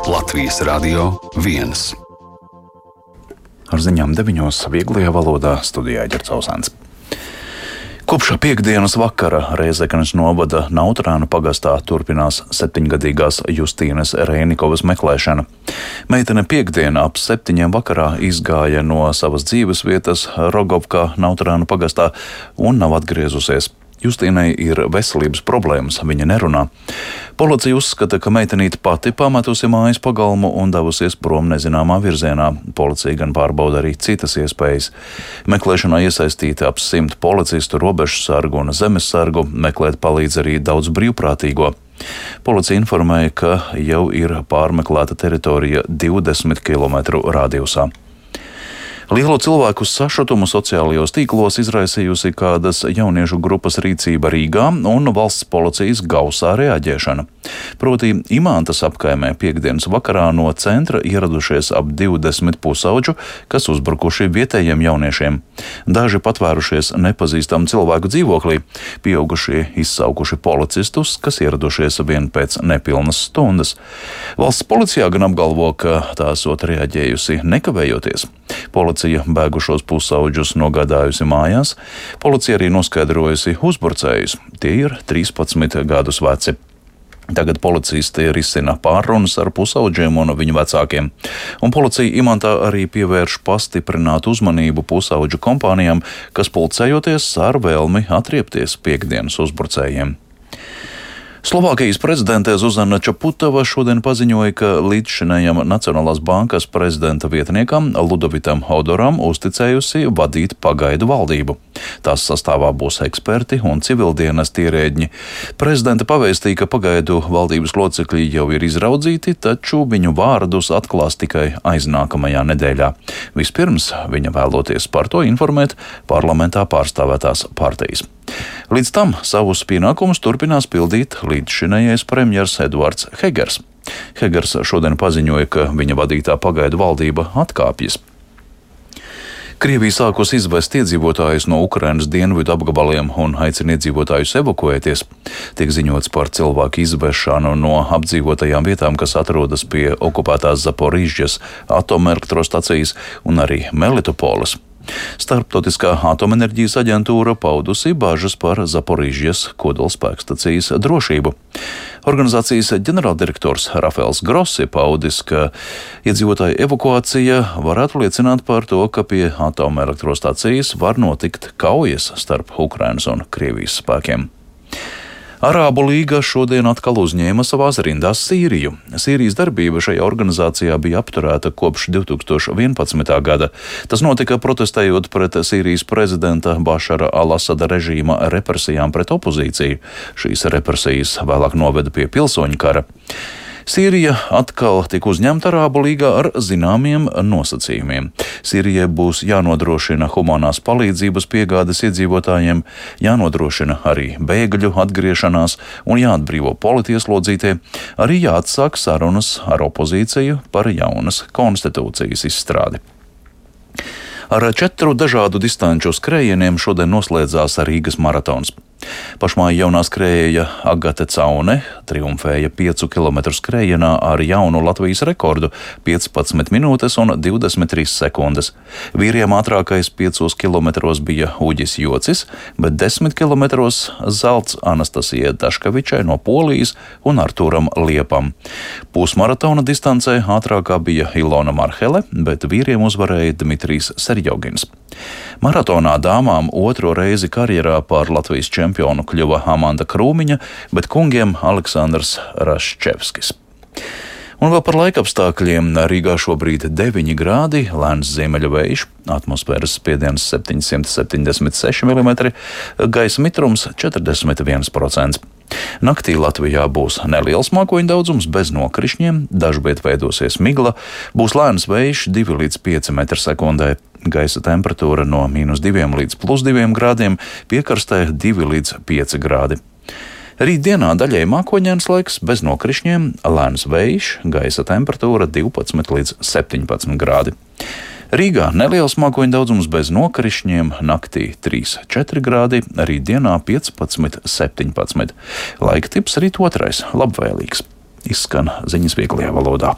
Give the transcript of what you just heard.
Latvijas Radio 1. Ar ziņām 9. vieglajā valodā studijā Ģercausāns. Kopš piektdienas vakara Rēzeknes novada Nautrānu pagastā turpinās 7-gadīgās Justīnes Rēnikovas meklēšana. Meitene piektdien ap 7 vakarā izgāja no savas dzīvesvietas Rogovkā Nautrānu pagastā un nav atgriezusies. Justīnai ir veselības problēmas, viņa nerunā. Policija uzskata, ka meitenīte pati pametusi mājas pagalmu un devusies prom nezināmā virzienā. Policija gan pārbauda arī citas iespējas. Meklēšanā iesaistīti ap 100 policistu, robežsargu un zemessargu, meklēt palīdz arī daudz brīvprātīgo. Policija informēja, ka jau ir pārmeklēta teritorija 20 km radiusā. Lielu cilvēku sašutumu sociālajos tīklos izraisījusi kādas jauniešu grupas rīcība Rīgā un valsts policijas gausā reaģēšana. Proti Imantas apkaimē piektdienas vakarā no centra ieradušies ap 20 pusauģu, kas uzbrukuši vietējiem jauniešiem. Daži patvērušies nepazīstamu cilvēku dzīvoklī, pieaugušie izsaukuši policistus, kas ieradušies vien pēc nepilnas stundas. Valsts policijā gan apgalvo, ka tā esot reaģējusi nekavējoties. Policija bēgušos pusauģus nogādājusi mājās. Policija arī noskaidrojusi uzbrucējus. Tie ir 13 gadus veci. Tagad policisti risina pārrunas ar pusauģiem un viņu vecākiem. Un policija Imantā arī pievērš pastiprinātu uzmanību pusauģu kompānijām, kas pulcējoties ar vēlmi atriepties piektdienas uzbrucējiem. Slovākijas prezidente Zuzana Čaputova šodien paziņoja, ka līdzšinējam Nacionālās bankas prezidenta vietniekam Ludovitam Hodoram uzticējusi vadīt pagaidu valdību. Tās sastāvā būs eksperti un civildienas ierēdņi. Prezidenta pavēstīja, ka pagaidu valdības locekļi jau ir izraudzīti, taču viņu vārdus atklās tikai aiznākamajā nedēļā. Vispirms viņa vēloties par to informēt parlamentā pārstāvētās partijas. Līdz tam savus pienākumus turpinās pildīt līdzšinējais premjers Eduards Hegers. Hegers šodien paziņoja, ka viņa vadītā pagaidu valdība atkāpjas. Krievija sākus izvest iedzīvotājus no Ukrainas dienvidu apgabaliem un aicina iedzīvotājus evakuēties. Tiek ziņots par cilvēku izvešanu no apdzīvotajām vietām, kas atrodas pie okupētās Zaporīžas atomelektrostacijas un arī Melitopoles. Starptautiskā atomenerģijas aģentūra paudusi bažas par Zaporīžas kodolspēkstacijas drošību. Organizācijas ģenerāldirektors Rafaels Grossi paudis, ka iedzīvotāju evakuācija varētu liecināt par to, ka pie atomelektrostacijas var notikt kaujas starp Ukrainas un Krievijas spēkiem. Arābu līga šodien atkal uzņēma savās rindās Sīriju. Sīrijas darbība šajā organizācijā bija apturēta kopš 2011. gada. Tas notika protestējot pret Sīrijas prezidenta Bašara al-Asada režīma represijām pret opozīciju. Šīs represijas vēlāk noveda pie pilsoņu kara. Sīrija atkal tika uzņemta Arābu līgā ar zināmiem nosacījumiem. Sīrijai būs jānodrošina humanās palīdzības piegādes iedzīvotājiem, jānodrošina arī bēgļu atgriešanās un jāatbrīvo politieslodzītie, arī jāatsāk sarunas ar opozīciju par jaunas konstitūcijas izstrādi. Ar 4 dažādu distanču skrējieniem šodien noslēdzās Rīgas maratons. Pašmāja jaunā skrējēja Agate Caune triumfēja 5 km skrējienā ar jaunu Latvijas rekordu - 15 minūtes un 23 sekundes. Vīriem ātrākais 5 km bija Uģis Jocis, bet 10 km zelts Anastasijai Daškevičai no Polijas un Artūram Liepam. Pusmaratona distancē ātrākā bija Ilona Marhele, bet vīriem uzvarēja Dmitrijs Serjogins. Maratonā dāmām otro reizi karjerā par Latvijas čempionu kļuva Amanda Krūmiņa, bet kungiem Aleksandrs Raščevskis. Un vēl par laikapstākļiem. Rīgā šobrīd 9 grādi, lēns ziemeļu vējš, atmosfēras spiediens 776 mm, gaisa mitrums 41%. Naktī Latvijā būs neliels mākoņu daudzums bez nokrišņiem, dažviet veidosies migla, būs lēns vējš 2 līdz 5 m/sekundē. Gaisa temperatūra no -2 līdz +2 grādiem, piekrastē 2 līdz 5 grādi. Rītdienā daļēji mākoņains laiks bez nokrišņiem, lēns vējš, gaisa temperatūra 12 līdz 17 grādi. Rīgā neliels mākoņu daudzums bez nokrišņiem, naktī 3–4 grādi, rītdienā 15–17. Laika tips rīt otrais, labvēlīgs. Izskan ziņas vieglajā valodā.